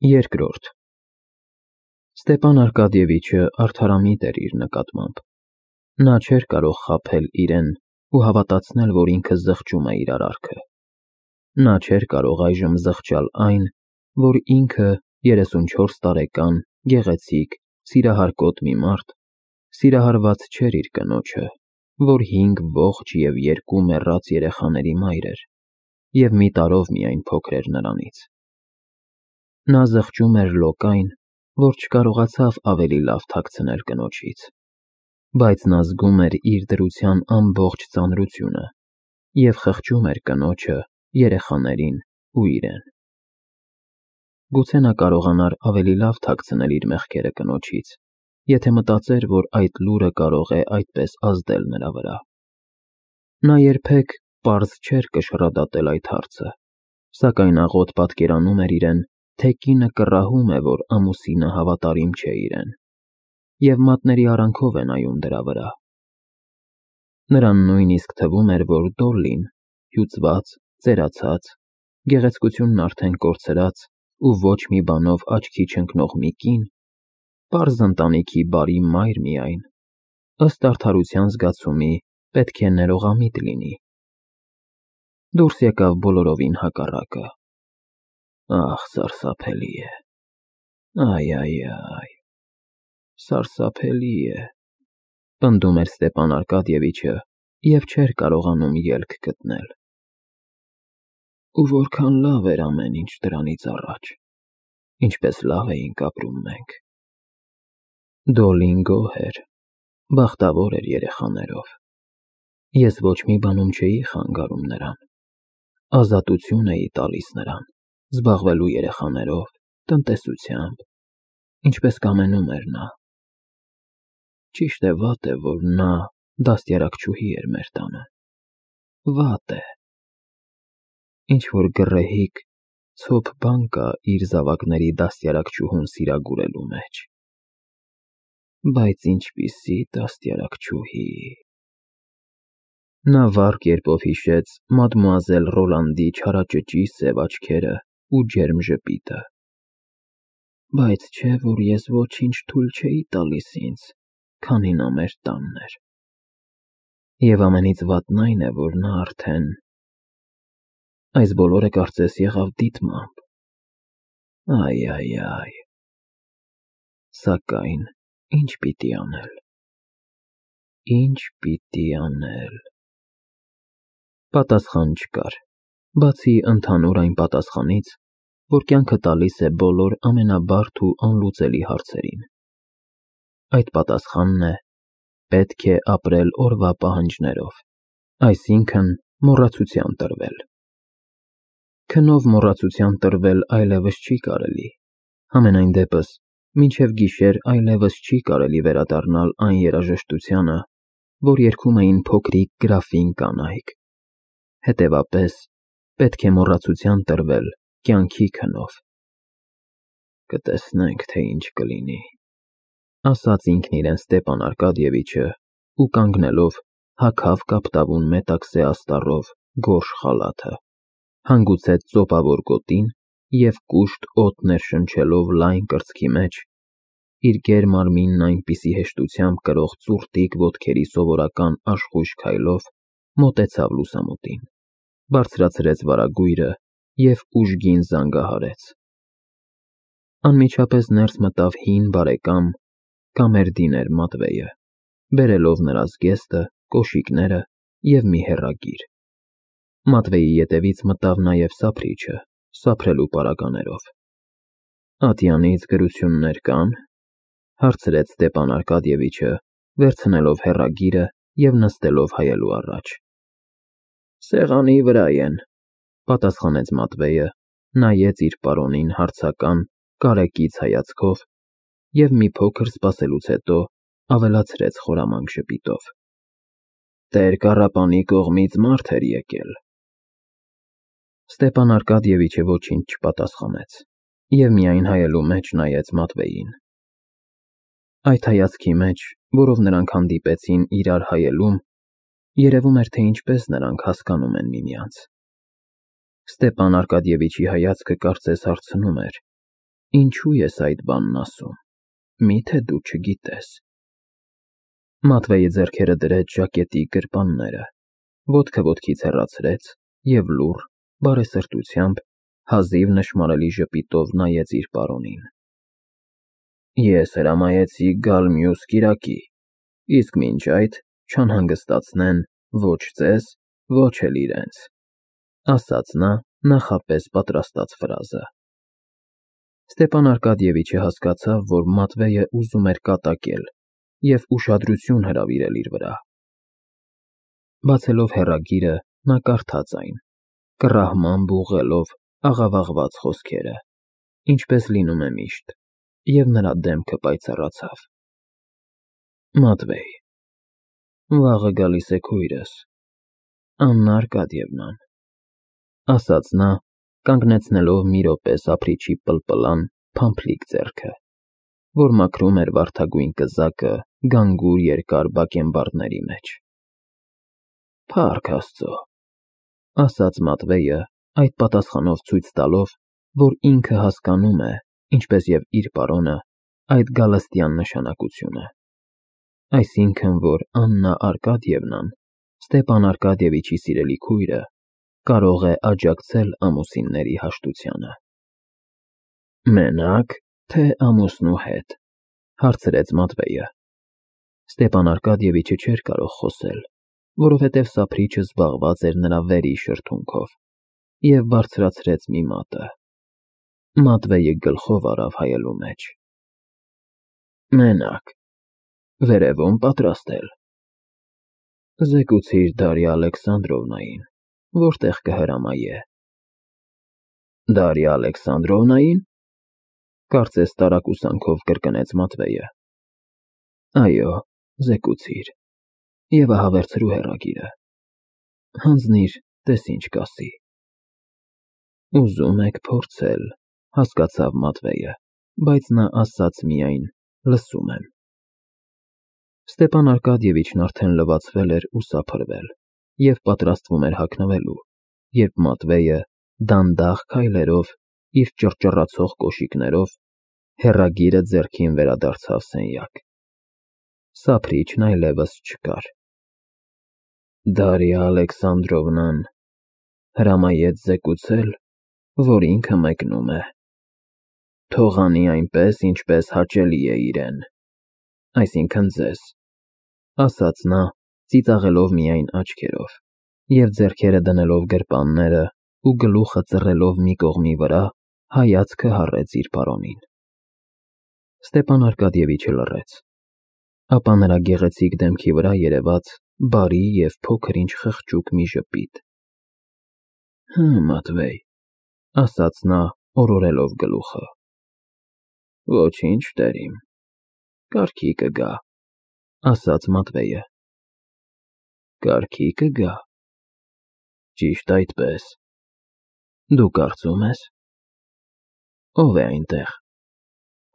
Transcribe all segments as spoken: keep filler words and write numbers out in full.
Երկրորդ Ստեպան Արկադիևիչը արդարամիտ էր իր նկատմամբ. նա չէր կարող խաբել իրեն ու հավատացնել, որ ինքը զղջում է իր արարքը. նա չէր կարող այժմ զղջալ այն, որ ինքը երեսունչորս տարեկան, գեղեցիկ, սիրահարկոտ մի մարդ, սիրահարված չէր իր կնոջը, որ հինգ ողջ և երկու մեռած երեխաների մայր էր, և մի տարով միայն փոքր էր նրանից: Նա զղջում էր լոկայն, որ չկարողացավ ավելի լավ թաքցնել կնոջից, բայց նա զգում էր իր դրության ամբողջ ծանրությունը և խղճում էր կնոջը, երեխաներին ու իրեն: Գուցե նա կարողանար ավելի լավ թաքցնել իր մեղքերը կնոջից, եթե մտածեր, որ այդ լուրը կարող է այդպես ազդել նրա վրա: Նա երբեք պարզ չէր կշռադատել այդ հարցը, սակայն աղոտ պատկերանում էր իրեն, թե կինը կռահում է, որ ամուսինը հավատարիմ չէ իրեն, և մատների արանքով է նայում դրա վրա: Նրան նույնիսկ թվում էր, որ Դոլլին, հյուծված, ծերացած, գեղեցկությունն արդեն կորցրած ու ոչ մի բանով աչքի չընկնող մի կին, պարզ ընտանիքի բարի մայր միայն, ըստ արդարության զգացումի պետք է ներողամիտ լինի: Դուրս եկավ բոլորովին հակառակը: Ահ, սարսափելի է, այ, այ, այ, սարսափելի է, պնդում էր Ստեպան Արկադիևիչը և չէր կարողանում ելք գտնել: Ու որքան լավ էր ամեն ինչ դրանից առաջ, ինչպես լավ էինք ապրում մենք: Դոլլին գոհ էր, բախտավոր էր երեխաներով: Ես ոչ մի բանում չէի խանգարում նրան, ազատություն էի տալիս նրան, զբաղվելու երեխաներով, տնտեսությամբ, ինչպես կամենում էր նա: Ճիշտ է, վատ է, որ նա դաստիարակչուհի էր մեր տանը, վատ է: Ինչ-որ գռեհիկ, ցոփ բան կա իր զավակների դաստիարակչուհուն սիրագուրելու մեջ: Բայց ինչպիսի դաստիարակչուհի… Նա վառ կերպով հիշեց մադմուազել Ռոլանդի չարաճճի սև աչքերն ու ջերմ ժպիտը: Բայց չէ՞ որ ես ոչինչ թույլ չէի տալիս ինձ, քանի նա մեր տանն էր: Եվ ամենից վատն այն է, որ նա արդեն… Այս բոլորը կարծես եղավ դիտմամբ: Այ, այ, այ… Սակայն ի՞նչ պիտի անել, ի՞նչ պիտի անել… Պատասխան չկար, բացի ընդհանուր այն պատասխանից, որ կյանքը տալիս է բոլոր ամենաբարդ ու անլուծելի հարցերին: Այդ պատասխանն է՝ պետք է ապրել օրվա պահանջներով, այսինքն՝ մոռացության տրվել: Քնով մոռացության տրվել այլևս չի կարելի, համենայն դեպս մինչև գիշեր այլևս չի կարելի վերադառնալ այն երաժշտությանը, որ երգում էին փոքրիկ գրաֆին կանայք: Հետևապես, պետք է մոռացության տրվել կյանքի քնով: Կտեսնենք, թե ինչ կլինի, ասաց ինքն իրեն Ստեպան Արկադիևիչը ու կանգնելով հագավ կապտավուն մետաքսե աստառով գորշ խալաթը, հանգուցեց ծոպավոր գոտին և կուշտ օդ ներշնչելով լայն կրծքի մեջ, իր գեր մարմինն այնպիսի հեշտությամբ կրող ծուռտիկ ոտքերի սովորական աշխույժ քայլով մոտեցավ լուսամուտին, բարձրացրեց վարագույրը և ուժգին զանգահարեց: Անմիջապես ներս մտավ հին բարեկամ կամերդիներ Մատվեյը, բերելով նրա զգեստը, կոշիկները և մի հեռագիր: Մատվեյի ետևից մտավ նաև սափրիչը, սափրելու պարագաներով: Ատյանից գրություննե՞ր կան, հարցրեց Ստեպան Արկադիևիչը, վերցնելով հեռագիրը և նստելով հայելու առաջ: Սեղանի վրա են, պատասխանեց Մատվեյը, նայեց իր պարոնին հարցական, կարեկից հայացքով և մի փոքր սպասելուց հետո ավելացրեց խորամանկ ժպիտով. Տեր կառապանի կողմից մարդ էր եկել: Ստեպան Արկադիևիչը ոչինչ չպատասխանեց և միայն հայելու մեջ նայեց Մատվեյին: Այդ հայացքի մեջ, որով նրանք հանդիպեցին իրար հայելուն, երևում էր, թե ինչպես նրանք հասկանում են միմյանց: Ստեպան Արկադիևիչի հայացքը կարծես հարցնում էր. Ինչու ես այդ բանն ասում, միթե դու չգիտես։ Մատվեյը ձեռքերը դրեց ժակետի գրպանները, ոտքը ոտքից հեռացրեց և լուռ, բարեսրտությամբ, հազիվ նշմարելի ժպիտով նայեց իր պարոնին։ Ես հրամայեցի գալ մյուս կիրակի, իսկ մինչ այդ չանհանգստացնեն ոչ ձեզ, ոչ էլ իրենց, ասաց նա նախապես պատրաստած ֆրազը։ Ստեպան Արկադիևիչը հասկացավ, որ Մատվեյը ուզում էր կատակել և ուշադրություն հրավիրել իր վրա։ Բացելով հեռագիրը, նա կարդաց այն, կռահմամբ ուղղելով աղավաղված խոսքերը, ինչպես լինում է միշտ, և նրա դեմքը պայծառացավ։ Մատվեյ, վաղը գալիս է քույրս, Աննա Արկադիևնան, ասաց նա, կանգնեցնելով մի րոպե սափրիչի պլպլան, փամփլիկ ձեռքը, որ մաքրում էր վարդագույն կզակը գանգուր երկար բակենբարդների մեջ։ Փառք Աստծո, ասաց Մատվեյը, այդ պատասխանով ցույց տալով, որ ինքը հասկանում է, ինչպես և իր պարոնը, այդ գալստյան նշանակությունը, այսինքն, որ Աննա Արկադիևնան, Ստեպան Արկադիևիչի սիրելի քույրը, կարող է աջակցել ամուսինների հաշտությանը։ Մենա՞կ, թե ամուսնու հետ, հարցրեց Մատվեյը։ Ստեպան Արկադիևիչը չէր կարող խոսել, որովհետև սափրիչը զբաղված էր նրա վերի շրթունքով, և բարձրացրեց մի մատը։ Մատվեյը գլխով առավ հայելու մեջ։ Մենակ, վերևում պատրաստել։ Զեկուցիր Դարիա Ալեքսանդրովնային, որտեղ կհրամայե։ Դարիա Ալեքսանդրովնային, կարծես տարակուսանքով կրկնեց Մատվեյը։ Այո, զեկուցիր, և ահա վերցրու հեռագիրը, հանձնիր, տես ինչ կասի։ Ուզում եք փորձել, հասկացավ Մատվեյը, բայց նա ասաց միայն. լսում եմ։ Ստեպան Արկադիևիչն արդեն լվացվել էր ու սափրվել և պատրաստվում էր հագնվելու, երբ Մատվեյը դանդաղ քայլերով, իր ճռճռացող կոշիկներով, հեռագիրը ձեռքին վերադարձավ սենյակ։ Սափրիչն այլևս չկար։ Դարիա Ալեքսանդրովնան հրամայեց զեկուցել, որ ինքը մեկնում է։ Թող անի այնպես, ինչպես հաճելի է իրեն, այսինքն ձեզ, ասաց նա, ծիծաղելով միայն աչքերով, և ձեռքերը դնելով գրպանները ու գլուխը ծռելով մի կողմի վրա, հայացքը հառեց իր պարոնին։ Ստեպան Արկադիևիչը լռեց, ապա նրա գեղեցիկ դեմքի վրա երևաց բարի և փոքր-ինչ խղճուկ մի ժպիտ։ Հը, Մատվեյ, ասաց նա, օրորելով գլուխը։ Ոչինչ, տերիմ, կարգի կգա, ասաց Մատվեյը։ Կարգի կգա։ Ճիշտ այդպես։ Դու կարծում ես։ Ո՞վ է այնտեղ,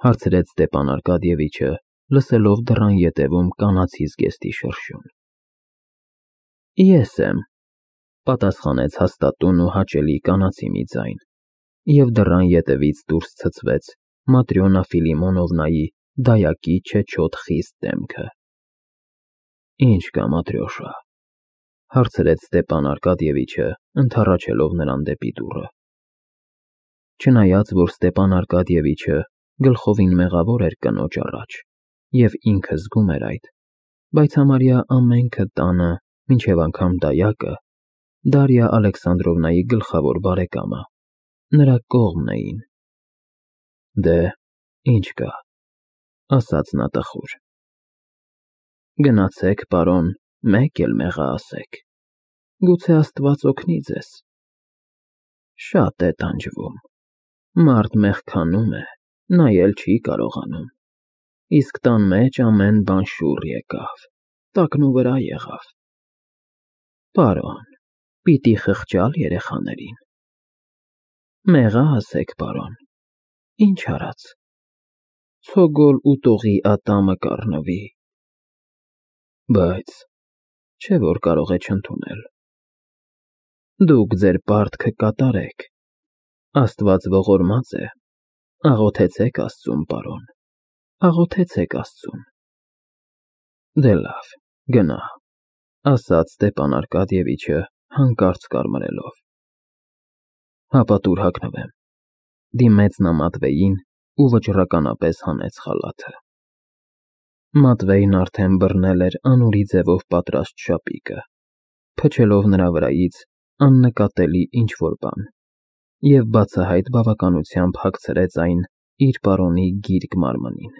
հարցրեց Ստեպան Արկադիևիչը, լսելով դռան ետևում կանացի զգեստի շրշյուն։ Ես եմ, պատասխանեց հաստատուն ու հաճելի կանացի մի ձայն, և դռան ետևից դուրս ցցվեց Матрёնա Ֆիլիմոնովնայի դայակի չեչոտ խիստ դեմքը։ Ինչ կա, Матрёշա, հարցրեց Ստեպան Արկադիևիչը, ընդառաջելով նրան դեպի դուռը։ Չնայած, որ Ստեպան Արկադիևիչը գլխովին մեղավոր էր կնոջ առաջ, և ինքը զգում էր այդ, բայց համարյա ամենքը տանը, մինչև անգամ դայակը, Դարիա Ալեքսանդրովնայի գլխավոր բարեկամը, նրա կողմն էին։ Դե, ինչ կա, ասաց նա տխուր։ Գնացեք, պարոն, մեկ էլ մեղա ասեք, գուցե Աստված օգնի ձեզ։ Շատ է տանջվում, մարդ մեղքանում է, նայել չի կարողանում, իսկ տան մեջ ամեն բան շուռ եկավ, տակնուվրա եղավ։ Պարոն, պիտի խղճալ երեխաներին։ Մեղա ասեք, պարոն, ինչ արած, ցոգոլ ուտողի ատամը կառնվի։ Բայց չէ որ կարող է չընդունել։ Դուք ձեր պարտքը կատարեք, Աստված ողորմած է, Աղոթեցեք Աստծուն, պարոն, աղոթեցեք Աստծուն։ Դե լավ, գնա, ասաց Ստեփան Արկադիևիչը հանկարծ կարմրելով։ Հապա տուր հագնվեմ, դիմեց նա Մատվեյին ու վճռականապես հանեց խալաթը։ Մատվեյն արդեն բռնել էր անուրի ձևով պատրաստ շապիկը, փչելով նրա վրայից աննկատելի ինչ֊որ բան և բացահայտ բավականությամբ հագցրեց այն իր պարոնի գիրկ մարմնին։